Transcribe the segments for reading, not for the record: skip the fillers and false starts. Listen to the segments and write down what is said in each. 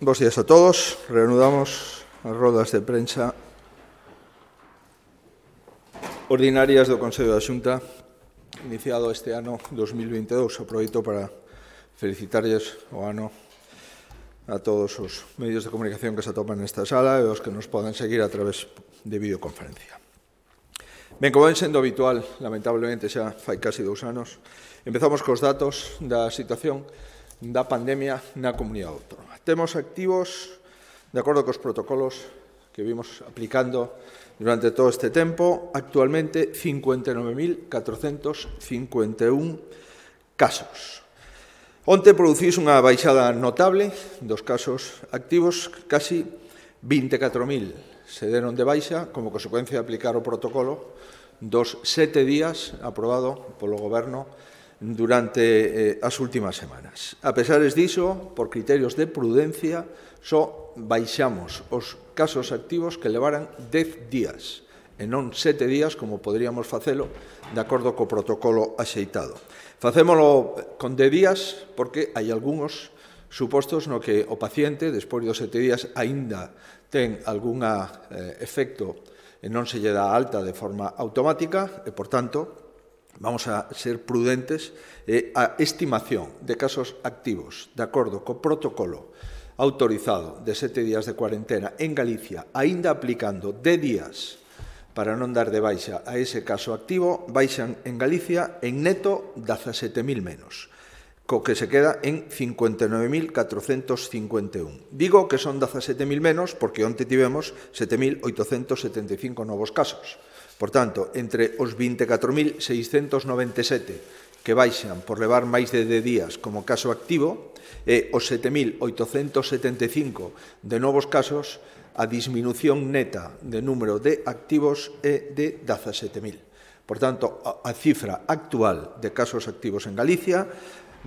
Bos días a todos. Reanudamos as rodas de prensa ordinarias do Consello da Xunta iniciado este ano 2022. Aproveito para felicitarles o ano a todos os medios de comunicación que se atopan nesta sala e os que nos poden seguir a través de videoconferencia. Ben, como ven sendo habitual, lamentablemente xa fai casi 2 anos, empezamos cos datos da situación da pandemia na comunidade autónoma. Temos activos, de acordo cos protocolos que vimos aplicando durante todo este tempo, actualmente 59.451 casos. Onte producís unha baixada notable dos casos activos, casi 24.000 se deron de baixa como consecuencia de aplicar o protocolo dos 7 días aprobado polo Goberno durante as últimas semanas. A pesar diso, por criterios de prudencia, só baixamos os casos activos que levaran 10 días, e non 7 días, como poderíamos facelo, de acordo co protocolo axeitado. Facémolo con 10 días porque hai algúns supostos no que o paciente, despois dos 7 días, aínda ten algún efecto e non se lle dá alta de forma automática e, por tanto, vamos a ser prudentes e a estimación de casos activos de acordo co protocolo autorizado de 7 días de cuarentena en Galicia, aínda aplicando 10 días para non dar de baixa a ese caso activo, baixan en Galicia en neto 17.000 menos, co que se queda en 59.451. Digo que son 17.000 menos porque onte tivemos 7.875 novos casos. Por tanto, entre os 24.697 que baixan por levar máis de 10 días como caso activo e os 7.875 de novos casos, a disminución neta de número de activos é de 17.000. Por tanto, a cifra actual de casos activos en Galicia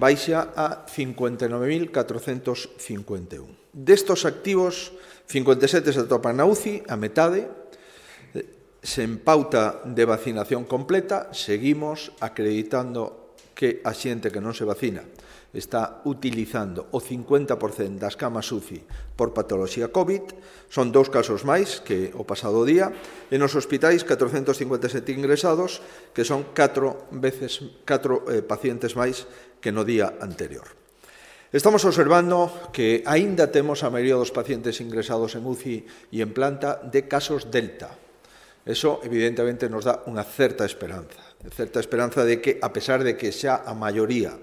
baixa a 59.451. Destos activos, 57 se atopan na UCI, a metade. Sen pauta de vacinación completa, seguimos acreditando que a xente que non se vacina está utilizando o 50% das camas UCI por patoloxía COVID. Son 2 casos máis que o pasado día. E nos hospitais, 457 ingresados, que son 4 pacientes máis que no día anterior. Estamos observando que aínda temos a maioría dos pacientes ingresados en UCI e en planta de casos Delta. Eso, evidentemente, nos dá unha certa esperanza de que, a pesar de que xa a maioría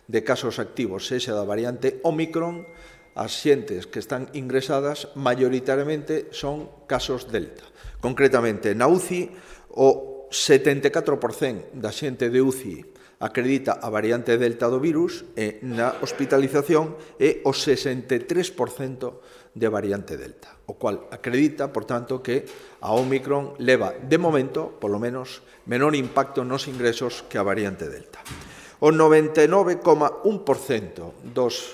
de casos activos sexa da variante Omicron, as xentes que están ingresadas maioritariamente son casos Delta. Concretamente, na UCI, o 74% da xente de UCI acredita a variante Delta do virus e na hospitalización é o 63% de variante Delta, o cual acredita, por tanto, que a Omicron leva, de momento, polo menos, menor impacto nos ingresos que a variante Delta. O 99,1% dos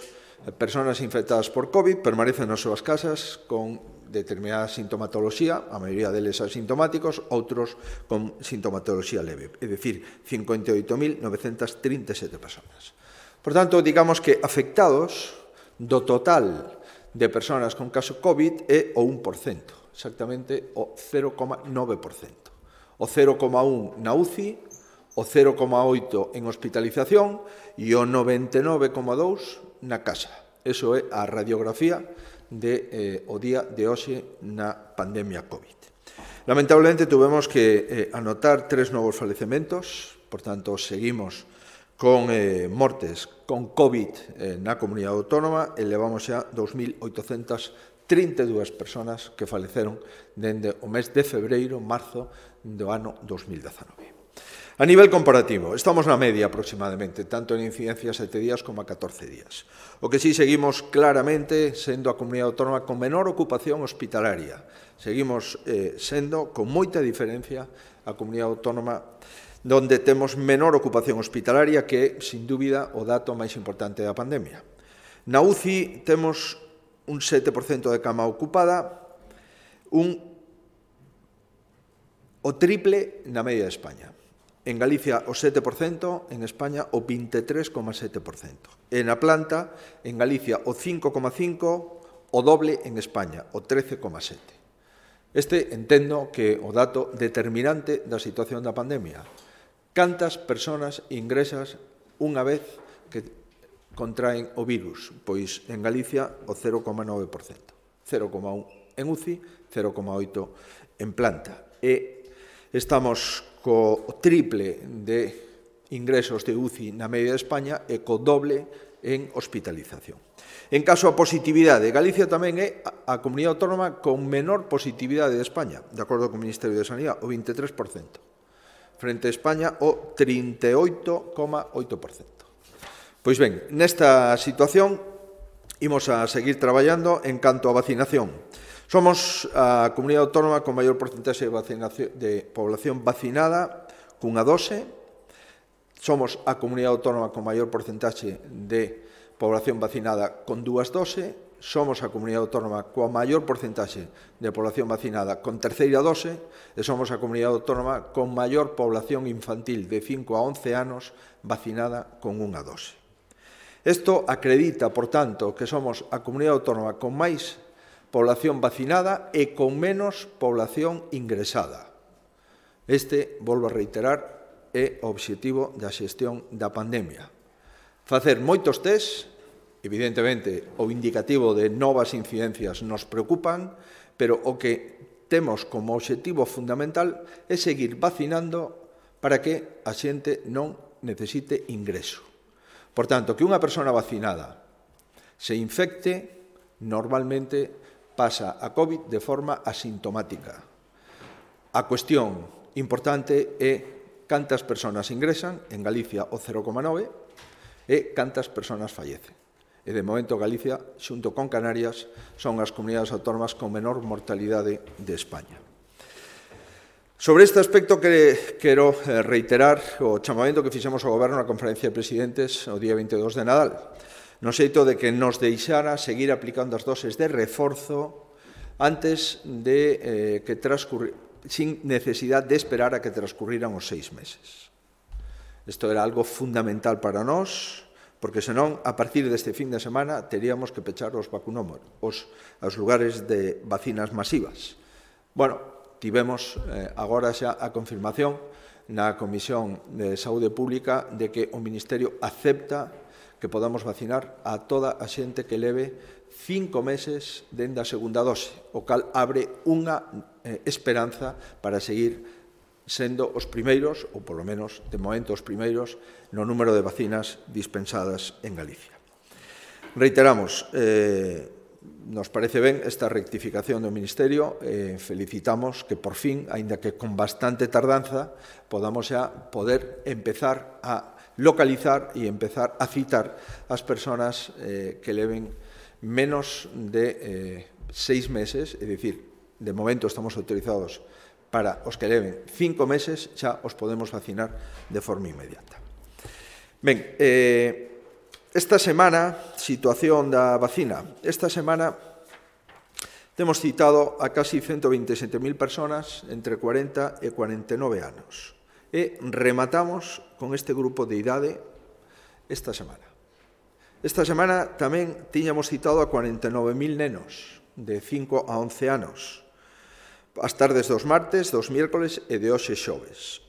persoas infectadas por COVID permanecen nas súas casas con determinada sintomatoloxía, a maioría deles asintomáticos, outros con sintomatoloxía leve, é dicir, 58.937 persoas. Por tanto, digamos que afectados do total de persoas con caso COVID é o 1%, exactamente o 0,9%. O 0,1% na UCI, o 0,8% en hospitalización e o 99,2% na casa. Eso é a radiografía o día de hoxe na pandemia COVID. Lamentablemente, tuvemos que anotar 3 novos falecementos, por tanto, seguimos con mortes con COVID na comunidade autónoma e levamos xa 2.832 persoas que faleceron dende o mes de febreiro, marzo do ano 2019. A nivel comparativo, estamos na media aproximadamente, tanto en incidencia 7 días como a 14 días. O que sí seguimos claramente sendo a comunidade autónoma con menor ocupación hospitalaria. Seguimos sendo, con moita diferencia, a comunidade autónoma donde temos menor ocupación hospitalaria, que é, sin dúbida, o dato máis importante da pandemia. Na UCI temos un 7% de cama ocupada, o triple na media de España. En Galicia o 7%, en España o 23,7%. E na planta, en Galicia o 5,5%, o doble en España, o 13,7. Este entendo que o dato determinante da situación da pandemia. Cantas persoas ingresas unha vez que contraen o virus? Pois en Galicia o 0,9%. 0,1 en UCI, 0,8 en planta. E estamos co triple de ingresos de UCI na media de España e co doble en hospitalización. En caso a positividade, Galicia tamén é a comunidade autónoma con menor positividade de España, de acordo co Ministerio de Sanidade, o 23%, frente a España o 38,8%. Pois ben, nesta situación imos a seguir traballando en canto a vacinación. Somos a comunidade autónoma con maior porcentaxe de población vacinada cunha dose. Somos a comunidade autónoma con maior porcentaxe de población vacinada con 2 doses. Somos a comunidade autónoma coa maior porcentaxe de población vacinada con terceira dose e somos a comunidade autónoma con maior población infantil de 5 a 11 anos vacinada con 1 dose. Isto acredita, por tanto, que somos a comunidade autónoma con máis población vacinada e con menos población ingresada. Este, volvo a reiterar, é o obxectivo da xestión da pandemia. Facer moitos tests, evidentemente, o indicativo de novas incidencias nos preocupan, pero o que temos como obxectivo fundamental é seguir vacinando para que a xente non necesite ingreso. Por tanto, que unha persona vacinada se infecte, normalmente pasa a COVID de forma asintomática. A cuestión importante é cantas persoas ingresan, en Galicia o 0,9, e cantas persoas fallecen. E de momento Galicia, xunto con Canarias, son as comunidades autónomas con menor mortalidade de España. Sobre este aspecto quero reiterar o chamamento que fixemos ao Goberno na conferencia de presidentes o día 22 de Nadal, no xeito de que nos deixara seguir aplicando as doses de reforzo antes de que sin necesidade de esperar a que transcurriran os 6 meses. Isto era algo fundamental para nós, porque senón, a partir deste fin de semana, teríamos que pechar os vacunómetros, os lugares de vacinas masivas. Bueno, tivemos agora xa a confirmación na Comisión de Saúde Pública de que o Ministerio acepta que podamos vacinar a toda a xente que leve 5 meses dende a segunda dose, o cal abre unha esperanza para seguir sendo os primeiros, ou polo menos de momento os primeiros, no número de vacinas dispensadas en Galicia. Reiteramos, nos parece ben esta rectificación do Ministerio, felicitamos que por fin, aínda que con bastante tardanza, podamos xa poder empezar a localizar e empezar a citar as persoas que leven menos de 6 meses, é dicir, de momento estamos autorizados para os que leven 5 meses, xa os podemos vacinar de forma inmediata. Ben, esta semana, situación da vacina. Esta semana temos citado a casi 127.000 persoas entre 40 e 49 anos. E rematamos con este grupo de idade esta semana. Esta semana tamén tiñamos citado a 49.000 nenos de 5 a 11 anos. As tardes dos martes, dos miércoles e de hoxe xoves.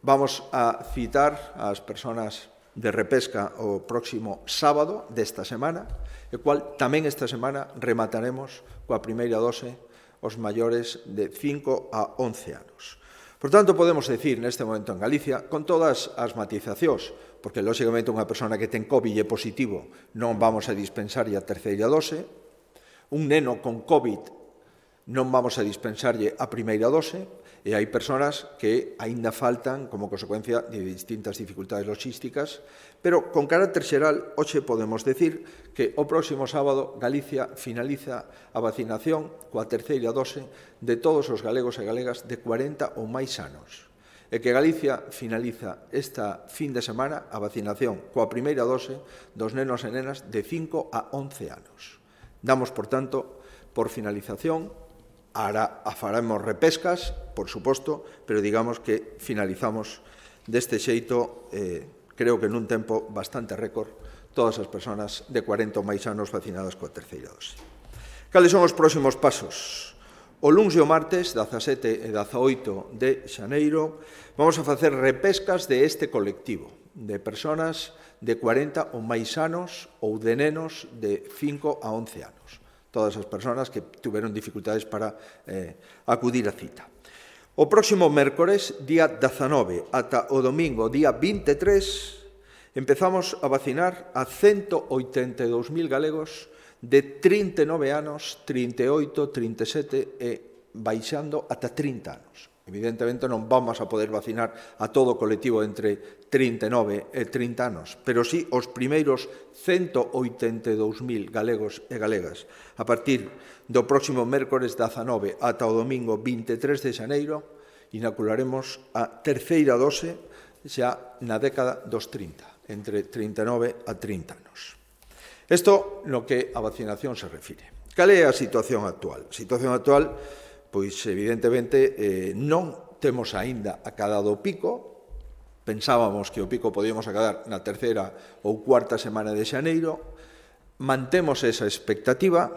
Vamos a citar as persoas de repesca o próximo sábado desta semana, e cual tamén esta semana remataremos coa primeira dose os maiores de 5 a 11 anos. Por tanto, podemos decir neste momento en Galicia, con todas as matizacións, porque, lóxicamente, unha persona que ten COVID e positivo non vamos a dispensarlle a terceira dose, un neno con COVID non vamos a dispensarlle a primeira dose, e hai persoas que aínda faltan como consecuencia de distintas dificultades logísticas, pero con carácter xeral, hoxe podemos decir que o próximo sábado Galicia finaliza a vacinación coa terceira dose de todos os galegos e galegas de 40 ou máis anos, e que Galicia finaliza esta fin de semana a vacinación coa primeira dose dos nenos e nenas de 5 a 11 anos. Damos, por tanto, por finalización. Ahora faremos repescas, por suposto, pero digamos que finalizamos deste xeito, creo que nun tempo bastante récord, todas as persoas de 40 ou máis anos vacinadas coa terceira dose. Cales son os próximos pasos? O luns e o martes, 17 e 18 de xaneiro, vamos a facer repescas de este colectivo, de persoas de 40 ou máis anos ou de nenos de 5 a 11 anos. Todas as persoas que tiveron dificultades para acudir á cita. O próximo mércores, día 19, ata o domingo, día 23, empezamos a vacinar a 182.000 galegos de 39 anos, 38, 37 e baixando ata 30 anos. Evidentemente non vamos a poder vacinar a todo o colectivo entre 39 e 30 anos, pero sí os primeiros 182.000 galegos e galegas. A partir do próximo mércores 19 ata o domingo 23 de xaneiro, inocularemos a terceira dose xa na década dos 30, entre 39 a 30 anos. Isto no que a vacinación se refire. Cal é a situación actual? A situación actual, pois evidentemente non temos aínda acadado o pico. Pensábamos que o pico podíamos acadar na terceira ou cuarta semana de xaneiro. Mantemos esa expectativa,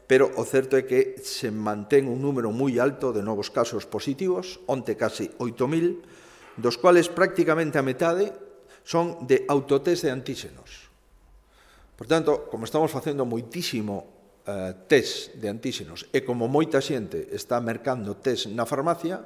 pero o certo é que se mantén un número moi alto de novos casos positivos, onte casi 8.000, dos cuales prácticamente a metade son de autotest de antíxenos. Por tanto, como estamos facendo moitísimo test de antíxenos e como moita xente está mercando test na farmacia,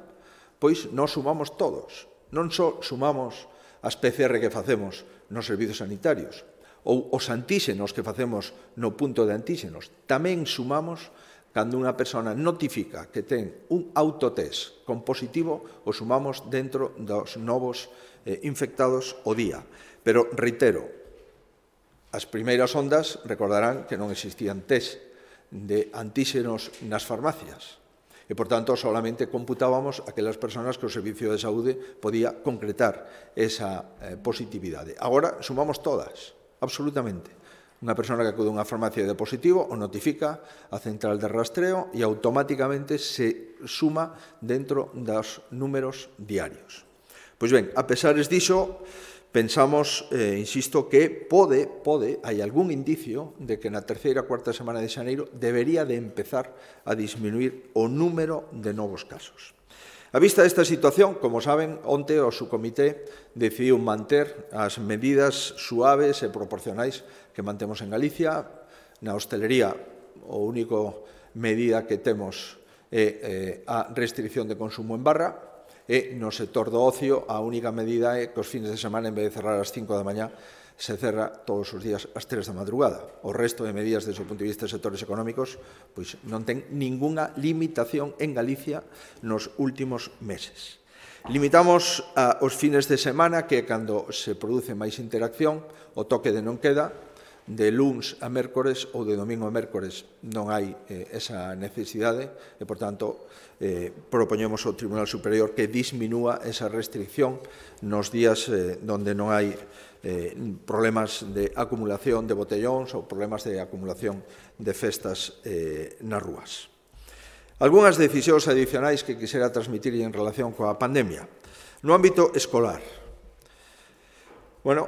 pois nós sumamos todos. Non só sumamos as PCR que facemos nos servizos sanitarios ou os antíxenos que facemos no punto de antíxenos, tamén sumamos cando unha persona notifica que ten un autotest con positivo, o sumamos dentro dos novos infectados o día. Pero, reitero, as primeiras ondas recordarán que non existían test de antíxenos nas farmacias e, por tanto, solamente computábamos aquelas persoas que o Servicio de Saúde podía concretar esa positividade. Agora sumamos todas, absolutamente. Unha persona que acude a unha farmacia de positivo o notifica a central de rastreo e automáticamente se suma dentro dos números diarios. Pois ben, a pesares diso, pensamos, insisto, que hai algún indicio de que na terceira e cuarta semana de xaneiro debería de empezar a disminuir o número de novos casos. A vista desta situación, como saben, onte o subcomité decidiu manter as medidas suaves e proporcionais que mantemos en Galicia. Na hostelería, o único medida que temos é a restricción de consumo en barra, e no sector do ocio a única medida é que os fines de semana, en vez de cerrar ás 5 da mañá, se cerra todos os días ás 3 da madrugada. O resto de medidas desde o punto de vista de sectores económicos pois non ten ningunha limitación en Galicia nos últimos meses. Limitamos os fines de semana, que é cando se produce máis interacción, o toque de non queda, de luns a mércores ou de domingo a mércores non hai esa necesidade e, por tanto, propoñemos ao Tribunal Superior que disminúa esa restricción nos días onde non hai problemas de acumulación de botellóns ou problemas de acumulación de festas nas rúas. Algúnas decisións adicionais que quixera transmitir en relación coa pandemia. No ámbito escolar,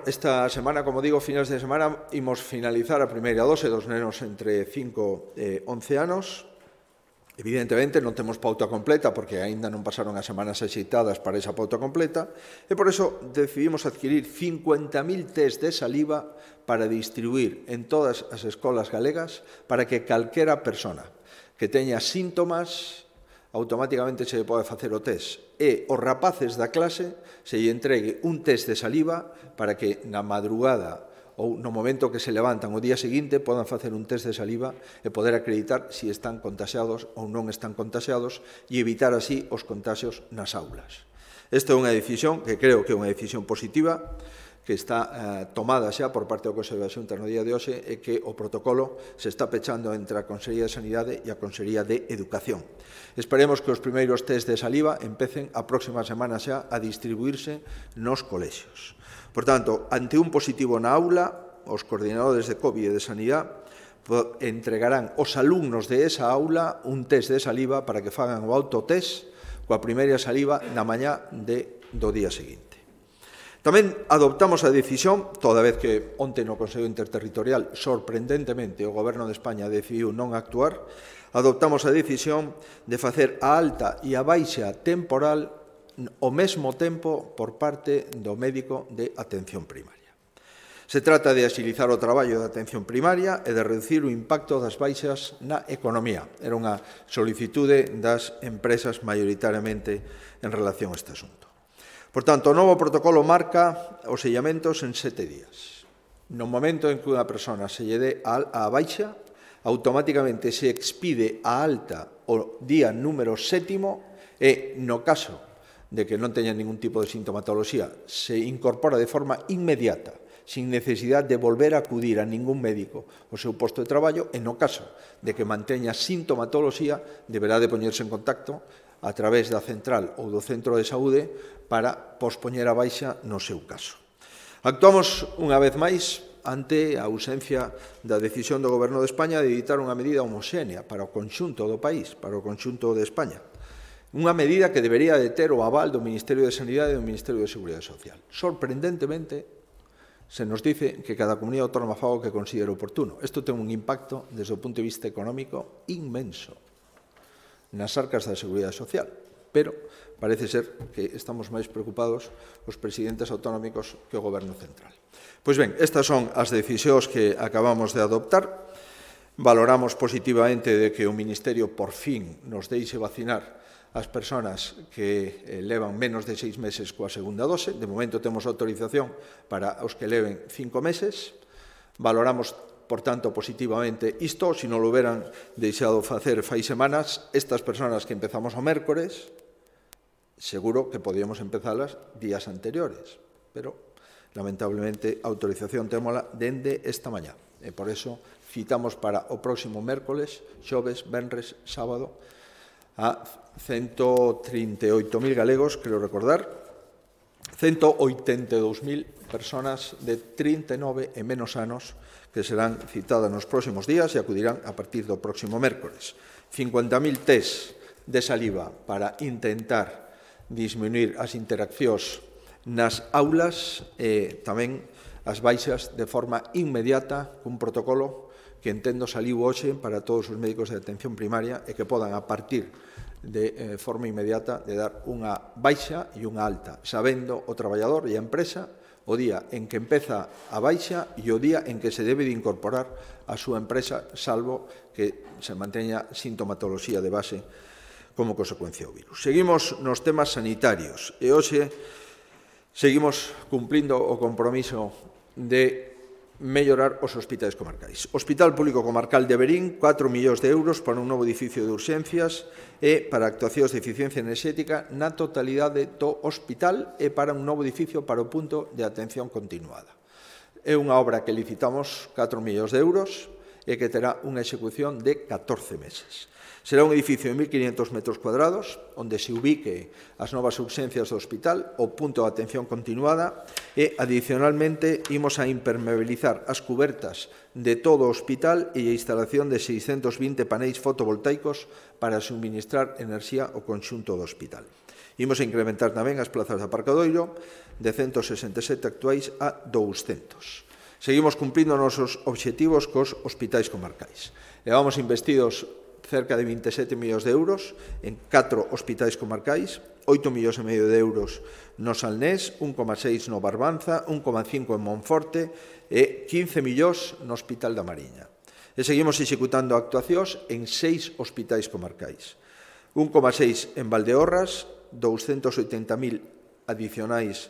esta semana, como digo, finais de semana, imos finalizar a primeira dose dos nenos entre 5 e 11 anos. Evidentemente, non temos pauta completa, porque aínda non pasaron as semanas axeitadas para esa pauta completa, e por iso decidimos adquirir 50.000 test de saliva para distribuir en todas as escolas galegas para que calquera persona que teña síntomas automáticamente se pode facer o test e os rapaces da clase se lle entregue un test de saliva para que na madrugada ou no momento que se levantan o día seguinte podan facer un test de saliva e poder acreditar se están contaxiados ou non están contaxiados e evitar así os contaxios nas aulas. Esta é unha decisión que creo que é unha decisión positiva que está tomada xa por parte do Consello da Xunta no día de hoxe e que o protocolo se está pechando entre a Consellería de Sanidade e a Consellería de Educación. Esperemos que os primeiros test de saliva empecen a próxima semana xa a distribuirse nos colexios. Por tanto, ante un positivo na aula, os coordinadores de COVID e de Sanidade entregarán aos alumnos de esa aula un test de saliva para que fagan o autotest coa primeira saliva na mañá do día seguinte. Tamén adoptamos a decisión, toda vez que onte no Consello Interterritorial, sorprendentemente, o Goberno de España decidiu non actuar, adoptamos a decisión de facer a alta e a baixa temporal ao mesmo tempo por parte do médico de atención primaria. Se trata de axilizar o traballo de atención primaria e de reducir o impacto das baixas na economía. Era unha solicitude das empresas maioritariamente en relación a este asunto. Por tanto, o novo protocolo marca os sellamentos en 7 días. No momento en que unha persona se lle dé a baixa, automáticamente se expide a alta o día número 7 e, no caso de que non teña ningún tipo de sintomatoloxía, se incorpora de forma inmediata, sin necesidade de volver a acudir a ningún médico ao seu posto de traballo, e no caso de que manteña sintomatoloxía, deberá de poñerse en contacto a través da central ou do centro de saúde para pospoñer a baixa no seu caso. Actuamos unha vez máis ante a ausencia da decisión do Goberno de España de dictar unha medida homoxénea para o conxunto do país, para o conxunto de España. Unha medida que debería de ter o aval do Ministerio de Sanidade e do Ministerio de Seguridade Social. Sorprendentemente, se nos dice que cada comunidade autónoma faga o que considere oportuno. Isto ten un impacto, desde o punto de vista económico, inmenso nas arcas da Seguridade Social, pero parece ser que estamos máis preocupados os presidentes autonómicos que o Goberno central. Pois ben, estas son as decisións que acabamos de adoptar. Valoramos positivamente de que o Ministerio por fin nos deixe vacinar as persoas que levan menos de 6 meses coa segunda dose. De momento temos autorización para os que leven 5 meses. Valoramos, por tanto, positivamente isto. Se non lo hubieran deixado facer fai semanas, estas persoas que empezamos o mércores, seguro que podíamos empezalas días anteriores, pero, lamentablemente, a autorización témola dende esta mañá. E por eso citamos para o próximo mércoles, xoves, venres, sábado, a 138.000 galegos, creo recordar, 182.000 persoas de 39 e menos anos que serán citadas nos próximos días e acudirán a partir do próximo mércores. 50.000 test de saliva para intentar disminuir as interaccións nas aulas e tamén as baixas de forma inmediata cun protocolo que entendo saliu hoxe para todos os médicos de atención primaria e que podan, a partir de forma inmediata, de dar unha baixa e unha alta, sabendo o traballador e a empresa o día en que empeza a baixa e o día en que se debe de incorporar a súa empresa, salvo que se manteña sintomatoloxía de base como consecuencia do virus. Seguimos nos temas sanitarios e hoxe seguimos cumplindo o compromiso de mellorar os hospitais comarcais. Hospital Público Comarcal de Verín, 4 millóns de euros para un novo edificio de urxencias e para actuacións de eficiencia enerxética na totalidade do hospital e para un novo edificio para o punto de atención continuada. É unha obra que licitamos 4 millóns de euros e que terá unha execución de 14 meses. Será un edificio de 1.500 metros cuadrados, onde se ubique as novas urxencias do hospital, o punto de atención continuada, e, adicionalmente, imos a impermeabilizar as cubertas de todo o hospital e a instalación de 620 paneis fotovoltaicos para suministrar enerxía ao conxunto do hospital. Imos a incrementar tamén as plazas de aparcadoiro de 167 actuais a 200. Seguimos cumprindo os nosos obxectivos cos hospitais comarcais. Levamos investidos cerca de 27 millóns de euros en 4 hospitais comarcais, 8 millóns e medio de euros no Salnés, 1,6 no Barbanza, 1,5 en Monforte e 15 millóns no Hospital da Mariña. E seguimos executando actuacións en 6 hospitais comarcais. 1,6 en Valdeorras, 280.000 adicionais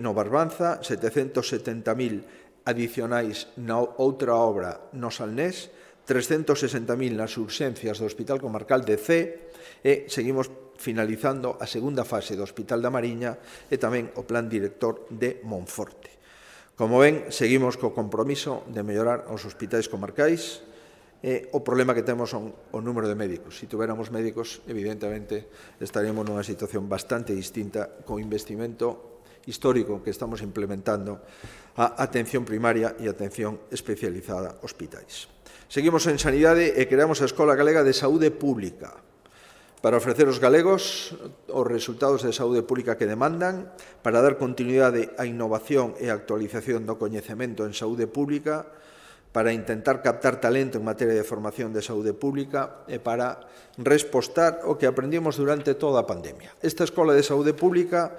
no Barbanza, 770.000 adicionais na outra obra no Salnés, 360.000 nas urxencias do Hospital Comarcal de Cee e seguimos finalizando a segunda fase do Hospital da Mariña e tamén o plan director de Monforte. Como ven, seguimos co compromiso de mellorar os hospitais comarcais e o problema que temos son o número de médicos. Se tuviéramos médicos, evidentemente, estaríamos nunha situación bastante distinta co investimento histórico que estamos implementando a atención primaria e atención especializada hospitais. Seguimos en sanidade e creamos a Escola Galega de Saúde Pública para ofrecer aos galegos os resultados de saúde pública que demandan, para dar continuidade á innovación e actualización do coñecemento en saúde pública, para intentar captar talento en materia de formación de saúde pública e para respostar o que aprendimos durante toda a pandemia. Esta Escola de Saúde Pública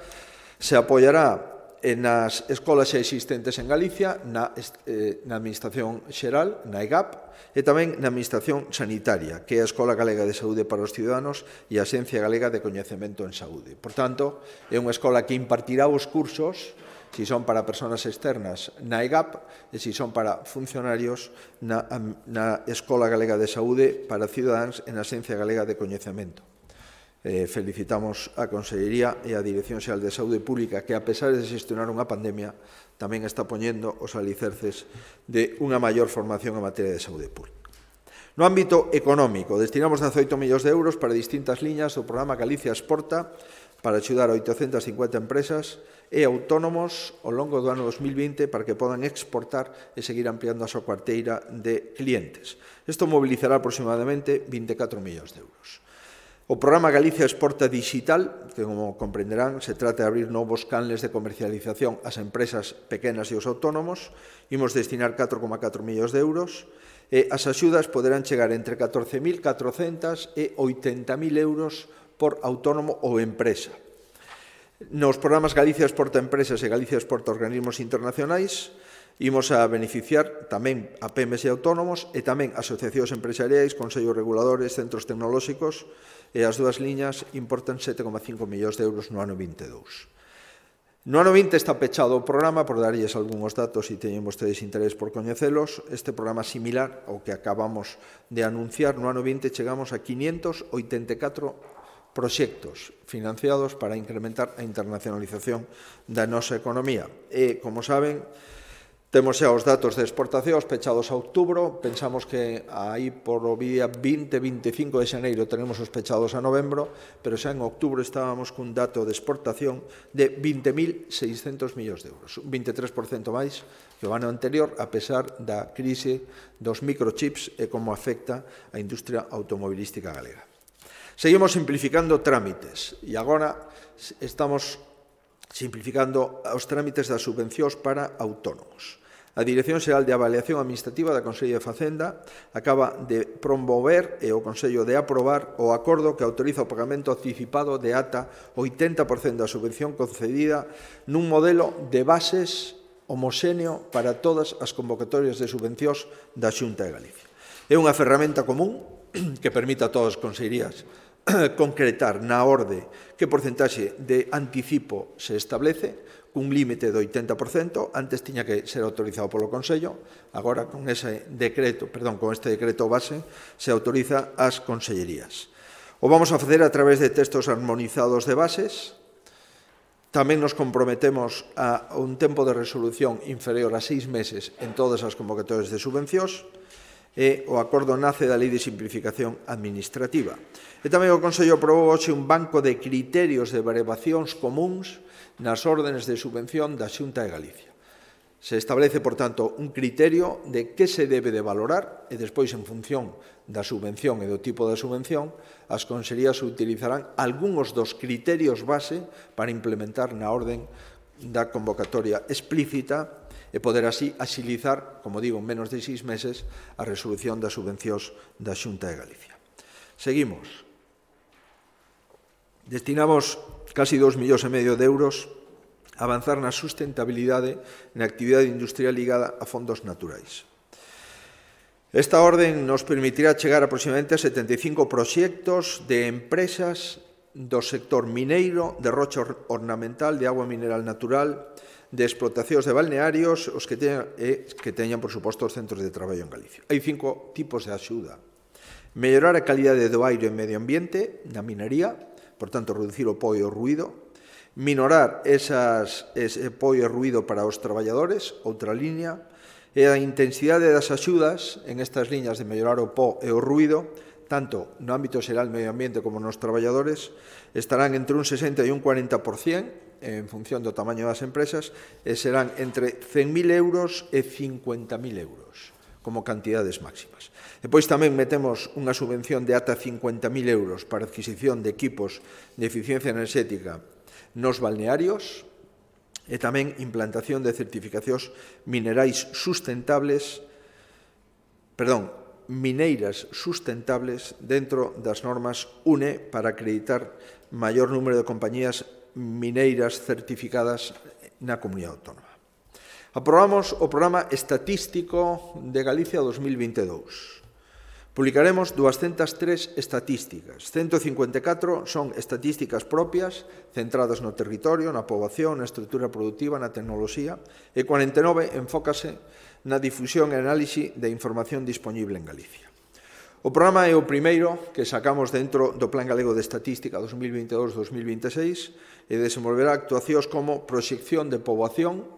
se apoiará nas escolas xa existentes en Galicia, na Administración Xeral, na EGAP, e tamén na Administración Sanitaria, que é a Escola Galega de Saúde para os Ciudadanos e a Xencia Galega de Coñecemento en Saúde. Por tanto, é unha escola que impartirá os cursos, si son para persoas externas, na EGAP, e si son para funcionarios na Escola Galega de Saúde para Cidadáns e na Xencia Galega de Coñecemento. Felicitamos a Consellería e a Dirección Xeral de Saúde Pública que, a pesar de xestionar unha pandemia, tamén está poñendo os alicerces de unha maior formación en materia de saúde pública. No ámbito económico, destinamos 18 millóns de euros para distintas liñas do programa Galicia Exporta para axudar a 850 empresas e autónomos ao longo do ano 2020 para que podan exportar e seguir ampliando a súa carteira de clientes. Isto mobilizará aproximadamente 24 millóns de euros. O programa Galicia Exporta Digital, que, como comprenderán, se trata de abrir novos canles de comercialización ás empresas pequenas e aos autónomos, imos destinar 4,4 millóns de euros, e as axudas poderán chegar entre 14.400 e 80.000 euros por autónomo ou empresa. Nos programas Galicia Exporta Empresas e Galicia Exporta Organismos Internacionais, imos a beneficiar tamén a PEMES e autónomos e tamén asociacións empresariais, consellos reguladores, centros tecnolóxicos, e as dúas liñas importan 7,5 millóns de euros no ano 22. No ano 20 está pechado o programa, por darlles algúns datos se teñen vostedes interés por coñecelos. Este programa similar ao que acabamos de anunciar, no ano 20 chegamos a 584 proxectos financiados para incrementar a internacionalización da nosa economía. E, como saben, temos xa os datos de exportacións pechados a outubro, pensamos que aí por o día 20-25 de xaneiro tenemos os pechados a novembro, pero xa en outubro estábamos cun dato de exportación de 20.600 millóns de euros, un 23% máis que o ano anterior, a pesar da crise dos microchips e como afecta a industria automobilística galega. Seguimos simplificando trámites e agora estamos simplificando os trámites das subvencións para autónomos. A Dirección Xeral de Avaliación Administrativa da Consellería de Facenda acaba de promover e o Consello de aprobar o acordo que autoriza o pagamento anticipado de ata 80% da subvención concedida nun modelo de bases homoxéneo para todas as convocatorias de subvencións da Xunta de Galicia. É unha ferramenta común que permite a todas as consellerías concretar na orde que porcentaxe de anticipo se establece, cun límite do 80%, antes tiña que ser autorizado polo Consello, agora con este decreto base se autoriza ás consellerías. O vamos a facer a través de textos armonizados de bases, tamén nos comprometemos a un tempo de resolución inferior a 6 meses en todas as convocatorias de subvencións, e o acordo nace da Lei de Simplificación Administrativa. E tamén o Consello aprobou hoxe un banco de criterios de variacións comúns nas órdenes de subvención da Xunta de Galicia. Se establece, por tanto, un criterio de que se debe de valorar e despois, en función da subvención e do tipo da subvención, as consellerías utilizarán algúns dos criterios base para implementar na orden da convocatoria explícita e poder así axilizar, como digo, en menos de 6 meses, a resolución das subvencións da Xunta de Galicia. Seguimos. Destinamos casi 2,5 millóns de euros a avanzar na sustentabilidade na actividade industrial ligada a fondos naturais. Esta orden nos permitirá chegar aproximadamente a 75 proxectos de empresas do sector mineiro, de rocha ornamental, de agua mineral natural, de explotacións de balnearios, os que teñan, por suposto, os centros de traballo en Galicia. Hai 5 tipos de axuda. Mellorar a calidade do aire e medio ambiente na minería, por tanto, reducir o po e o ruído. Minorar ese po e o ruído para os traballadores, outra liña. E a intensidade das axudas en estas liñas de mellorar o po e o ruído, tanto no ámbito xeral medio ambiente como nos traballadores, estarán entre un 60 e un 40%, en función do tamaño das empresas, e serán entre 100.000 euros e 50.000 euros. como cantidades máximas. Depois tamén metemos unha subvención de ata 50.000 euros para a adquisición de equipos de eficiencia enerxética nos balnearios e tamén implantación de certificacións mineiras sustentables dentro das normas UNE para acreditar maior número de compañías mineiras certificadas na Comunidade Autónoma. Aprobamos o Programa Estatístico de Galicia 2022. Publicaremos 203 estatísticas. 154 son estatísticas propias, centradas no territorio, na poboación, na estrutura productiva, na tecnoloxía, e 49 enfócase na difusión e análise de información disponible en Galicia. O programa é o primeiro que sacamos dentro do Plan Galego de Estatística 2022-2026 e desenvolverá actuacións como proxección de poboación,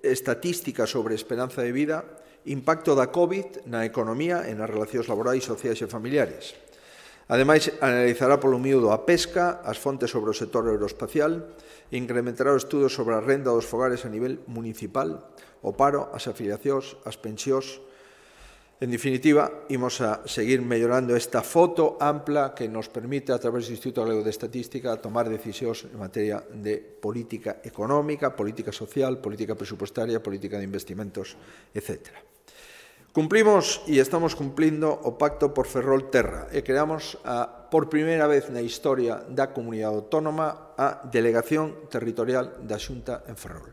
estatística sobre esperanza de vida, impacto da COVID na economía e nas relacións laborais, sociais e familiares. Ademais, analizará polo miúdo a pesca, as fontes sobre o sector aeroespacial e incrementará o estudo sobre a renda dos fogares a nivel municipal, o paro, as afiliacións, as pensións. En definitiva, imos a seguir mellorando esta foto ampla que nos permite, a través do Instituto Galego de Estatística, tomar decisións en materia de política económica, política social, política presupuestaria, política de investimentos, etc. Cumplimos e estamos cumplindo o Pacto por Ferrol-Terra e creamos por primeira vez na historia da Comunidade Autónoma a Delegación Territorial da Xunta en Ferrol.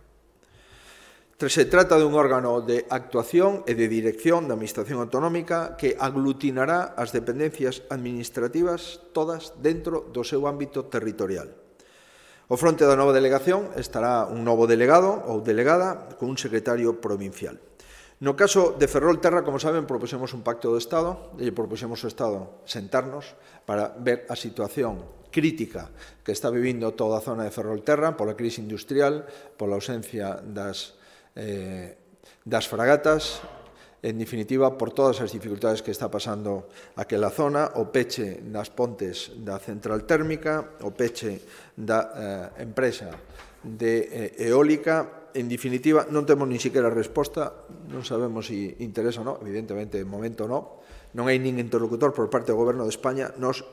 Se trata de un órgano de actuación e de dirección da Administración Autonómica que aglutinará as dependencias administrativas todas dentro do seu ámbito territorial. Ao fronte da nova delegación estará un novo delegado ou delegada con un secretario provincial. No caso de Ferrol-Terra, como saben, propuxemos un pacto do Estado e propuxemos ao Estado sentarnos para ver a situación crítica que está vivindo toda a zona de Ferrol-Terra pola crise industrial, pola ausencia das fragatas, en definitiva, por todas as dificultades que está pasando aquela zona, o peche das pontes da central térmica, o peche da empresa de eólica. En definitiva, non temos nin siquiera resposta, non sabemos se interesa ou non, evidentemente, de momento non hai nin interlocutor por parte do Goberno de España. Nos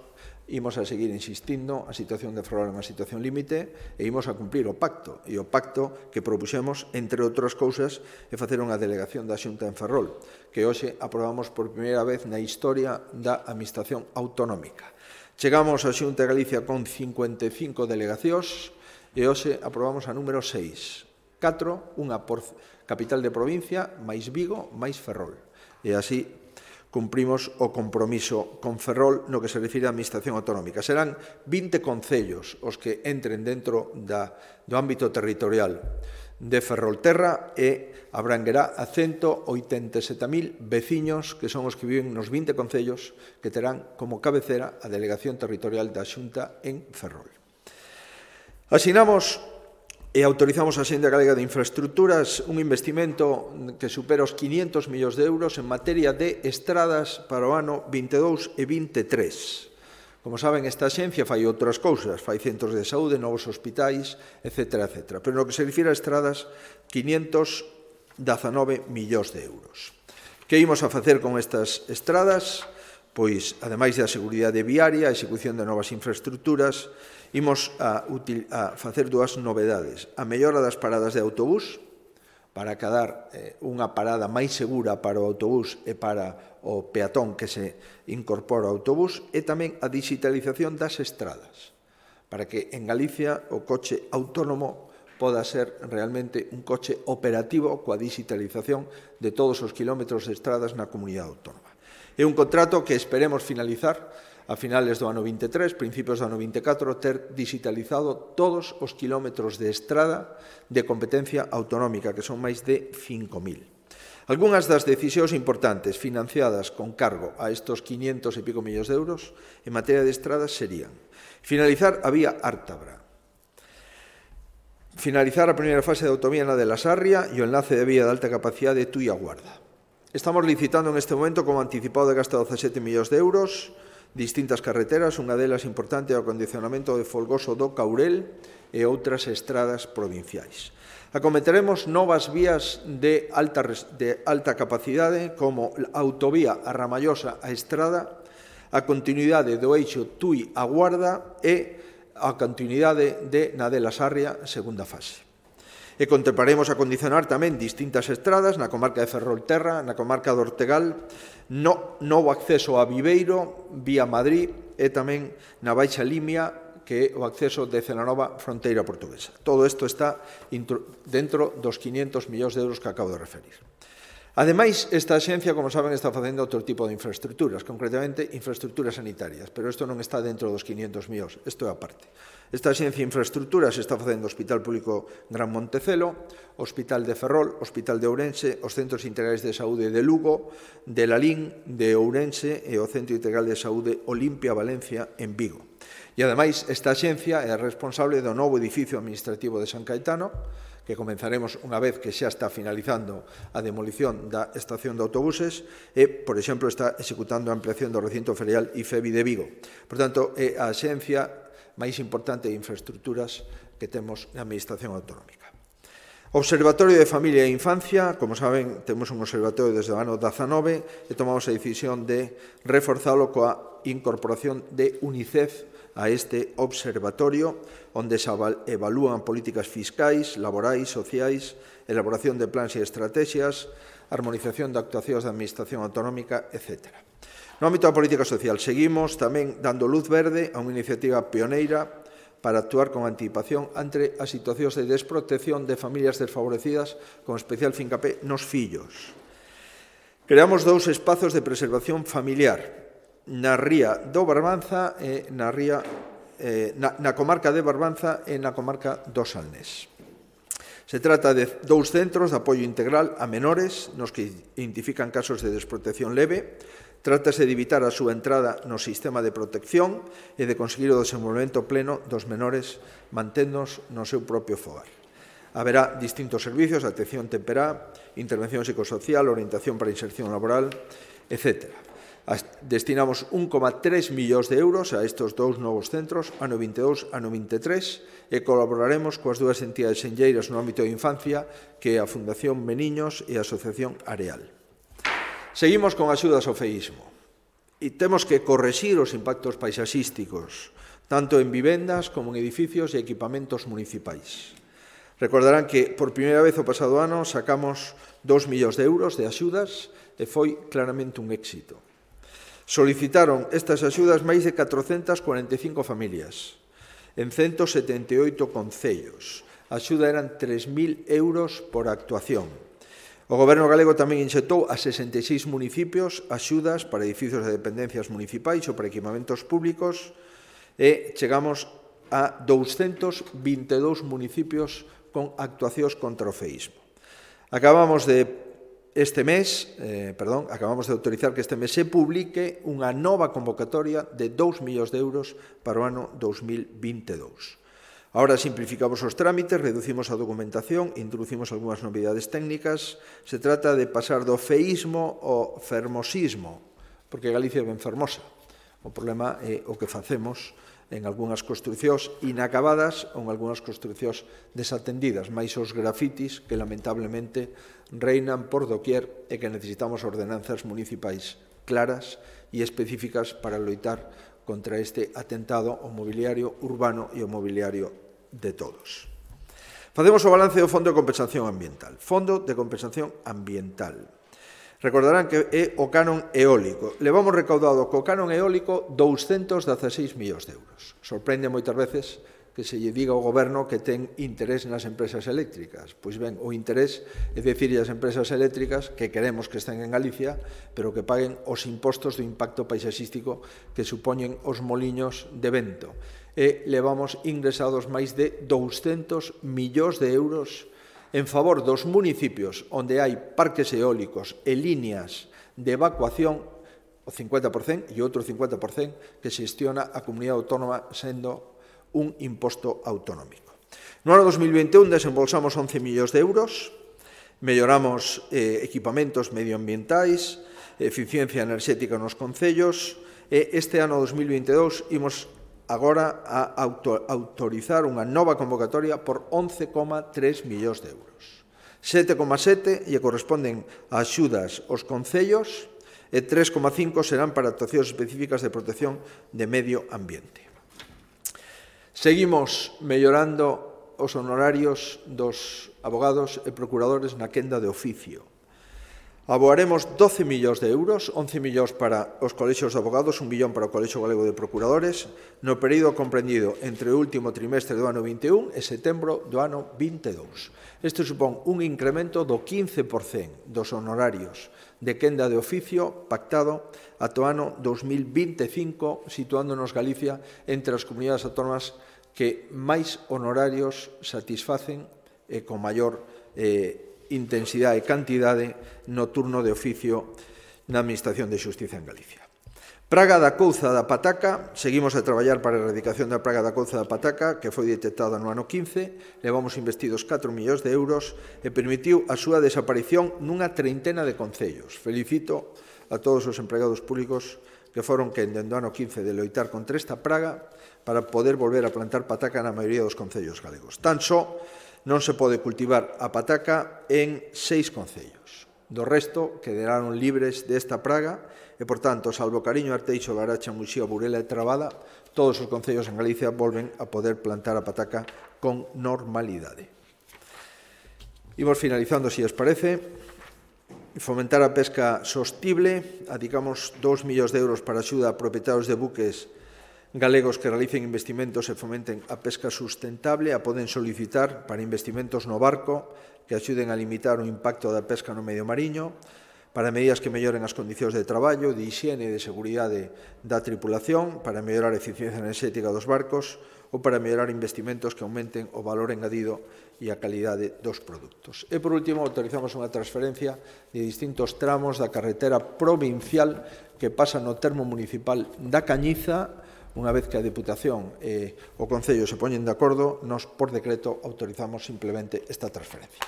imos a seguir insistindo, a situación de Ferrol é unha situación límite e imos a cumplir o pacto, e o pacto que propuxemos, entre outras cousas, é facer unha delegación da Xunta en Ferrol, que hoxe aprobamos por primeira vez na historia da Administración Autonómica. Chegamos a Xunta de Galicia con 55 delegacións e hoxe aprobamos a número 6. 4, unha por capital de provincia, máis Vigo, máis Ferrol. E así cumprimos o compromiso con Ferrol no que se refire á Administración Autonómica. Serán 20 concellos os que entren dentro do ámbito territorial de Ferrol-Terra e abranguerá a 187.000 veciños que son os que viven nos 20 concellos que terán como cabecera a Delegación Territorial da Xunta en Ferrol. Asinamos e autorizamos a Xenda Galega de Infraestructuras un investimento que supera os 500 millóns de euros en materia de estradas para o ano 22 e 23. Como saben, esta axencia fai outras cousas, fai centros de saúde, novos hospitais, etc. Pero no que se refira a estradas, 519 millóns de euros. Que imos a facer con estas estradas? Pois, ademais da seguridade viaria, a execución de novas infraestructuras, imos a facer dúas novedades. A mellora das paradas de autobús, para cadar unha parada máis segura para o autobús e para o peatón que se incorpora ao autobús, e tamén a digitalización das estradas, para que en Galicia o coche autónomo poda ser realmente un coche operativo coa digitalización de todos os kilómetros de estradas na comunidade autónoma. É un contrato que esperemos finalizar a finales do ano 23, principios do ano 24, ter digitalizado todos os kilómetros de estrada de competencia autonómica, que son máis de 5.000. Algúnas das decisións importantes financiadas con cargo a estos 500 e pico millóns de euros en materia de estradas serían finalizar a vía Ártabra, finalizar a primeira fase de autovía na de la Sarria e o enlace de vía de alta capacidade de Tui a Guarda. Estamos licitando en este momento como anticipado de gasto de 17 millóns de euros distintas carreteras, unha delas importante é o acondicionamento de Folgoso do Caurel e outras estradas provinciais. Acometeremos novas vías de alta capacidade como a autovía a Ramallosa a Estrada, a continuidade do eixo Tui a Guarda e a continuidade de Nadela Sarria, segunda fase. E contemplaremos acondicionar tamén distintas estradas na comarca de Ferrolterra, na comarca do Ortegal, novo acceso a Viveiro, vía Madrid e tamén na Baixa Limia, que é o acceso de Celanova fronteira portuguesa. Todo isto está dentro dos 500 millóns de euros que acabo de referir. Ademais, esta axencia, como saben, está facendo outro tipo de infraestructuras, concretamente infraestructuras sanitarias, pero isto non está dentro dos 500 millóns, isto é aparte. Esta axencia de infraestructuras está facendo o Hospital Público Gran Montecelo, o Hospital de Ferrol, o Hospital de Ourense, os Centros Integrales de Saúde de Lugo, de Lalín, de Ourense e o Centro Integral de Saúde Olimpia Valencia en Vigo. E, ademais, esta axencia é responsable do novo edificio administrativo de San Caetano, que comenzaremos unha vez que xa está finalizando a demolición da estación de autobuses e, por exemplo, está executando a ampliación do recinto ferial IFEBI de Vigo. Por tanto, é a axencia máis importante de infraestructuras que temos na Administración Autonómica. Observatorio de Familia e Infancia, como saben, temos un observatorio desde o ano 19 e tomamos a decisión de reforzalo coa incorporación de UNICEF a este observatorio, onde se evalúan políticas fiscais, laborais, sociais, elaboración de plans e estrategias, armonización de actuacións da Administración Autonómica, etc. No ámbito da política social, seguimos tamén dando luz verde a unha iniciativa pioneira para actuar con anticipación ante as situacións de desprotección de familias desfavorecidas, con especial fincapé nos fillos. Creamos 2 espazos de preservación familiar, na ría do Barbanza e na comarca de Barbanza e na comarca do Salnés. Se trata de 2 centros de apoio integral a menores nos que identifican casos de desprotección leve. Trátase de evitar a súa entrada no sistema de protección e de conseguir o desenvolvemento pleno dos menores manténdonos no seu propio fogar. Haberá distintos servicios, atención temperá, intervención psicosocial, orientación para inserción laboral, etc. Destinamos 1,3 millóns de euros a estes 2 novos centros, ano 22, ano 23, e colaboraremos coas 2 entidades senlleiras no ámbito de infancia, que é a Fundación Meniños e a Asociación Areal. Seguimos con axudas ao feísmo. E temos que correxir os impactos paisaxísticos, tanto en vivendas como en edificios e equipamentos municipais. Recordarán que por primeira vez o pasado ano sacamos 2 millóns de euros de axudas e foi claramente un éxito. Solicitaron estas axudas máis de 445 familias en 178 concellos. A axuda eran 3.000 euros por actuación. O Goberno galego tamén inxectou a 66 municipios axudas para edificios de dependencias municipais ou para equipamentos públicos e chegamos a 222 municipios con actuacións contra o feísmo. Acabamos de autorizar que este mes se publique unha nova convocatoria de 2 millóns de euros para o ano 2022. Ahora simplificamos os trámites, reducimos a documentación, introducimos algunhas novidades técnicas. Se trata de pasar do feísmo ao fermosismo, porque Galicia é ben fermosa. O problema é o que facemos en algunhas construcións inacabadas ou en algunhas construcións desatendidas, máis os grafitis que lamentablemente reinan por doquier e que necesitamos ordenanzas municipais claras e específicas para loitar contra este atentado ao mobiliario urbano e ao mobiliario de todos. Facemos o balance do Fondo de Compensación Ambiental. Fondo de Compensación Ambiental. Recordarán que é o canon eólico. Levamos recaudado co canon eólico 216 millóns de euros. Sorprende moitas veces que se lle diga ao Goberno que ten interés nas empresas eléctricas. Pois ben, o interés é dicir ás empresas eléctricas que queremos que estén en Galicia, pero que paguen os impostos do impacto paisaxístico que supoñen os moliños de vento. E levamos ingresados máis de 200 millóns de euros en favor dos municipios onde hai parques eólicos e líneas de evacuación, o 50% e outro 50% que xestiona a comunidade autónoma sendo un imposto autonómico. No ano 2021 desembolsamos 11 millóns de euros, melloramos equipamentos medioambientais, eficiencia enerxética nos concellos, e este ano 2022 imos agora a autorizar unha nova convocatoria por 11,3 millóns de euros. 7,7 lle corresponden a axudas aos concellos e 3,5 serán para actuacións específicas de protección de medio ambiente. Seguimos mellorando os honorarios dos abogados e procuradores na quenda de oficio. Aboaremos 12 millóns de euros, 11 millóns para os colexios de abogados, 1 millón para o Colexio Galego de Procuradores, no período comprendido entre o último trimestre do ano 21 e setembro do ano 22. Este supón un incremento do 15% dos honorarios de quenda de oficio pactado ata o ano 2025, situándonos Galicia entre as comunidades autónomas que máis honorarios satisfacen e con maior intensidade e cantidade no turno de oficio na Administración de Xustiza en Galicia. Praga da couza da pataca, seguimos a traballar para a erradicación da praga da couza da pataca, que foi detectada no ano 15, levamos investidos 4 millóns de euros e permitiu a súa desaparición nunha treintena de concellos. Felicito a todos os empregados públicos que foron quen dende o ano 15 de loitar contra esta praga para poder volver a plantar pataca na maioría dos concellos galegos. Tan só non se pode cultivar a pataca en 6 concellos. Do resto, quedaron libres desta praga e, por tanto, salvo Cariño, Arteixo, Laracha, Muxía, Burela e Trabada, todos os concellos en Galicia volven a poder plantar a pataca con normalidade. Imos finalizando, se os parece. Fomentar a pesca sostible. Adicamos 2 millóns de euros para axuda a propietarios de buques galegos que realicen investimentos e fomenten a pesca sustentable. A poden solicitar para investimentos no barco que axuden a limitar o impacto da pesca no medio mariño, para medidas que melloren as condicións de traballo, de higiene e de seguridade da tripulación, para mellorar a eficiencia enerxética dos barcos ou para mellorar investimentos que aumenten o valor engadido e a calidade dos produtos. E, por último, autorizamos unha transferencia de distintos tramos da carretera provincial que pasa no termo municipal da Cañiza. Unha vez que a Deputación e o Concello se poñen de acordo, nos, por decreto, autorizamos simplemente esta transferencia.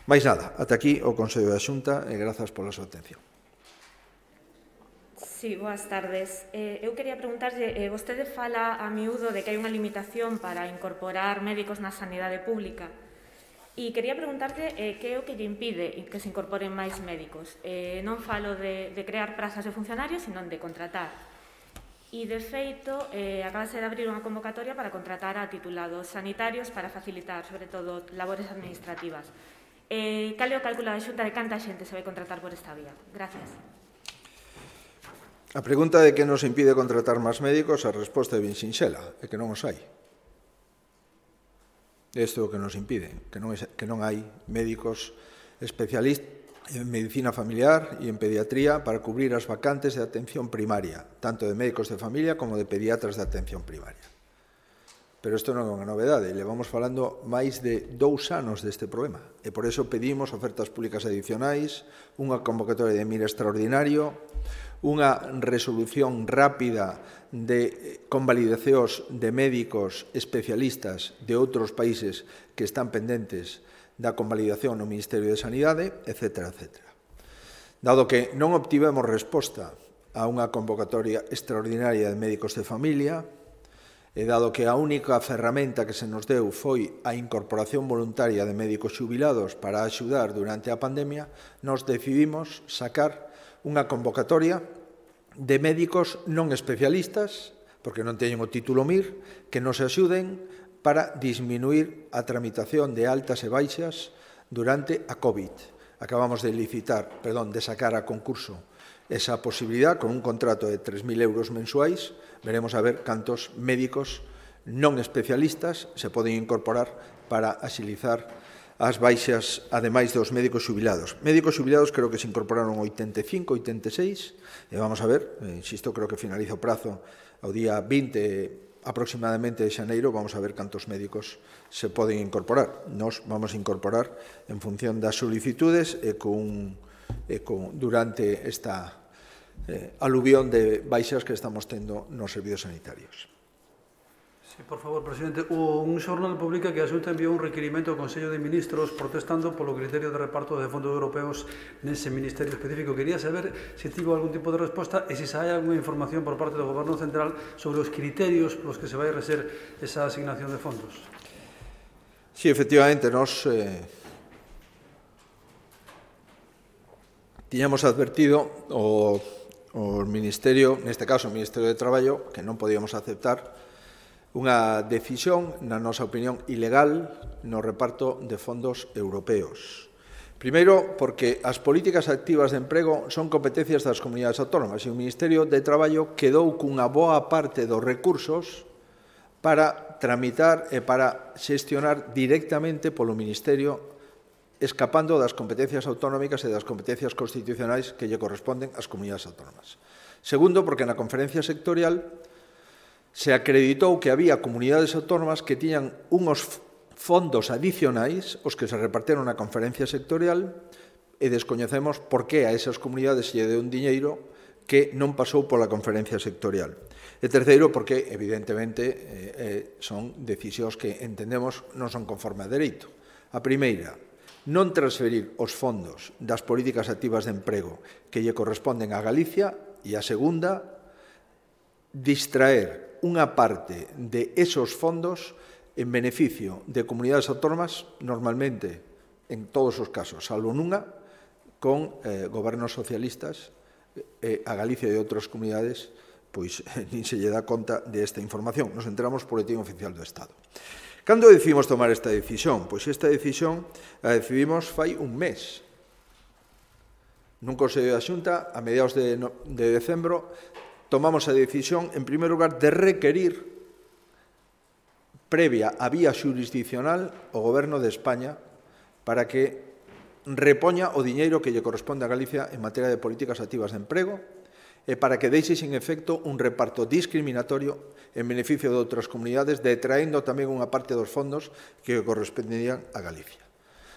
Mais nada, ata aquí o Consello da Xunta e grazas pola súa atención. Sí, boas tardes. Eu quería preguntarlle, vostede fala a miúdo de que hai unha limitación para incorporar médicos na sanidade pública. E quería preguntarlle que é o que lle impide que se incorporen máis médicos. Non falo de crear prazas de funcionarios, sino de contratar. E, de feito, acabase de abrir unha convocatoria para contratar a titulados sanitarios para facilitar, sobre todo, labores administrativas. Cal é o cálculo da Xunta de canta xente se vai contratar por esta vía? Gracias. A pregunta de que nos impide contratar máis médicos, a resposta é ben sinxela, é que non os hai. Isto é o que nos impide, que non hai médicos especialistas en medicina familiar e en pediatría para cubrir as vacantes de atención primaria, tanto de médicos de familia como de pediatras de atención primaria. Pero isto non é unha novedade, levamos falando máis de 2 anos deste problema e por iso pedimos ofertas públicas adicionais, unha convocatoria de mira extraordinario, unha resolución rápida de convalidacións de médicos especialistas de outros países que están pendentes da convalidación no Ministerio de Sanidade, etc. etc. Dado que non obtivemos resposta a unha convocatoria extraordinaria de médicos de familia, e dado que a única ferramenta que se nos deu foi a incorporación voluntaria de médicos xubilados para axudar durante a pandemia, nos decidimos sacar unha convocatoria de médicos non especialistas, porque non teñen o título MIR, que nos axuden para disminuir a tramitación de altas e baixas durante a COVID. Acabamos de sacar a concurso esa posibilidad con un contrato de 3.000 euros mensuais. Veremos a ver cantos médicos non especialistas se poden incorporar para axilizar as baixas, ademais dos médicos xubilados. Médicos xubilados creo que se incorporaron 85, 86, e vamos a ver, insisto, creo que finaliza o prazo ao día 20 aproximadamente de xaneiro, vamos a ver cantos médicos se poden incorporar. Nos vamos a incorporar en función das solicitudes e durante esta aluvión de baixas que estamos tendo nos servizos sanitarios. Sí, por favor, presidente. Un xornal publica que a Xunta enviou un requirimento ao Consello de Ministros protestando polo criterio de reparto de fondos europeos nese ministerio específico. Quería saber se tivo algún tipo de resposta e se hai alguna información por parte do Goberno Central sobre os criterios polos que se vai reser esa asignación de fondos. Sí, efectivamente, nos tiñamos advertido o Ministerio, neste caso o Ministerio de Traballo, que non podíamos aceptar unha decisión, na nosa opinión, ilegal no reparto de fondos europeos. Primeiro, porque as políticas activas de emprego son competencias das comunidades autónomas e o Ministerio de Traballo quedou cunha boa parte dos recursos para tramitar e para xestionar directamente polo Ministerio, escapando das competencias autonómicas e das competencias constitucionais que lle corresponden ás comunidades autónomas. Segundo, porque na conferencia sectorial se acreditou que había comunidades autónomas que tiñan unos fondos adicionais os que se reparteron na conferencia sectorial e descoñecemos por que a esas comunidades lle deu un diñeiro que non pasou pola conferencia sectorial. E terceiro, porque, evidentemente, son decisións que entendemos non son conforme a dereito. A primeira, non transferir os fondos das políticas activas de emprego que lle corresponden a Galicia, e a segunda, distraer unha parte de esos fondos en beneficio de comunidades autónomas, normalmente, en todos os casos, salvo nunha, con gobernos socialistas, a Galicia e outras comunidades, pois nin se lle dá conta desta información. Nos enteramos por Boletín Oficial do Estado. Cando decidimos tomar esta decisión? Pois esta decisión a decidimos fai un mes. Nun Consello da Xunta, a mediados de decembro, tomamos a decisión, en primer lugar, de requerir, previa a vía xurisdiccional, o Goberno de España para que repoña o diñeiro que lle corresponde a Galicia en materia de políticas activas de emprego e para que deixe sin efecto un reparto discriminatorio en beneficio de outras comunidades, detraendo tamén unha parte dos fondos que corresponderían a Galicia.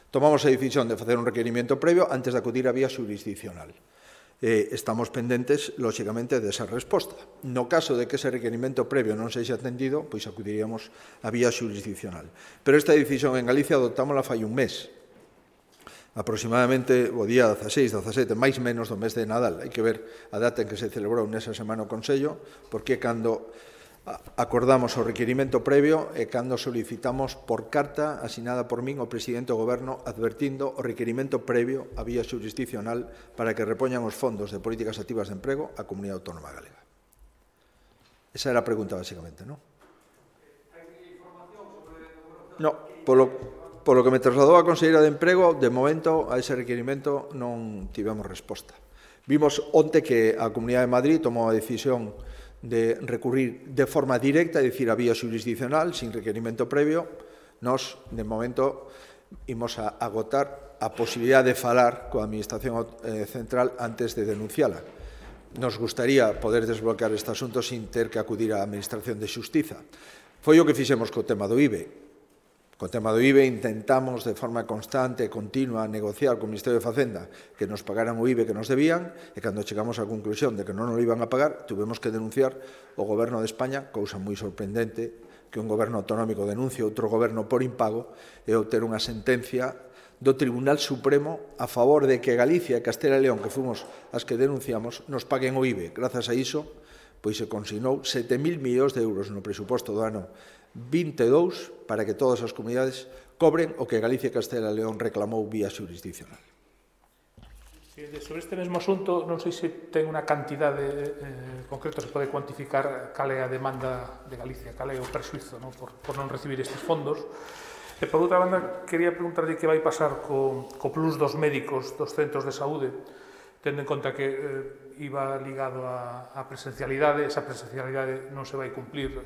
Tomamos a decisión de facer un requerimento previo antes de acudir a vía xurisdiccional. Estamos pendentes, lóxicamente, desa resposta. No caso de que ese requerimento previo non sexa atendido, pois acudiríamos a vía xurisdiccional. Pero esta decisión en Galicia adoptámola fai un mes, aproximadamente o día 16, 17, máis menos do mes de Nadal. Hai que ver a data en que se celebrou nesa semana o Consello, porque cando acordamos o requerimento previo e cando solicitamos por carta asinada por min o presidente do Goberno advertindo o requerimento previo a vía xurisdiccional para que repoñan os fondos de políticas activas de emprego á Comunidade Autónoma Galega. Esa era a pregunta, basicamente, non? No, polo que me trasladou a Conselleira de Emprego, de momento a ese requerimento non tivemos resposta. Vimos onte que a Comunidade de Madrid tomou a decisión de recurrir de forma directa, é dicir, a vía xurisdiccional, sin requerimento previo. Nos, de momento, imos a agotar a posibilidade de falar coa Administración Central antes de denunciala. Nos gustaría poder desbloquear este asunto sin ter que acudir á Administración de Xustiza. Foi o que fixemos co tema do IBE. Co tema do IBE intentamos de forma constante e continua negociar co Ministerio de Facenda que nos pagaran o IBE que nos debían e cando chegamos á conclusión de que non nos iban a pagar, tuvemos que denunciar o Goberno de España, cousa moi sorprendente que un goberno autonómico denuncie outro goberno por impago e obter unha sentencia do Tribunal Supremo a favor de que Galicia e Castela e León, que fomos as que denunciamos, nos paguen o IBE. Grazas a iso, pois se consignou 7.000 millóns de euros no presuposto do ano 22 para que todas as comunidades cobren o que Galicia e Castela e León reclamou vía xurisdiccional. Sobre este mesmo asunto, non sei se ten unha cantidade concreta, se pode cuantificar cal é a demanda de Galicia, cal é o persuizo por non recibir estes fondos. E, por outra banda, quería preguntarlle que vai pasar co plus dos médicos dos centros de saúde, tendo en conta que iba ligado á presencialidade, esa presencialidade non se vai cumplir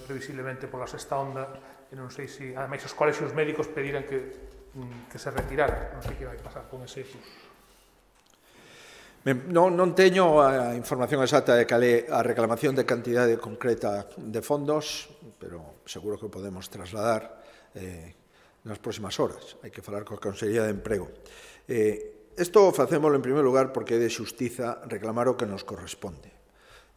previsiblemente pola sexta onda, e non sei se, ademais, os colexios médicos pediran que se retirara. Non sei que vai pasar con ese plus. Non teño a información exacta de cal é a reclamación de cantidade concreta de fondos, pero seguro que o podemos trasladar nas próximas horas. Hai que falar coa Consellería de Emprego. Isto facémolo en primeiro lugar porque é de xustiza reclamar o que nos corresponde.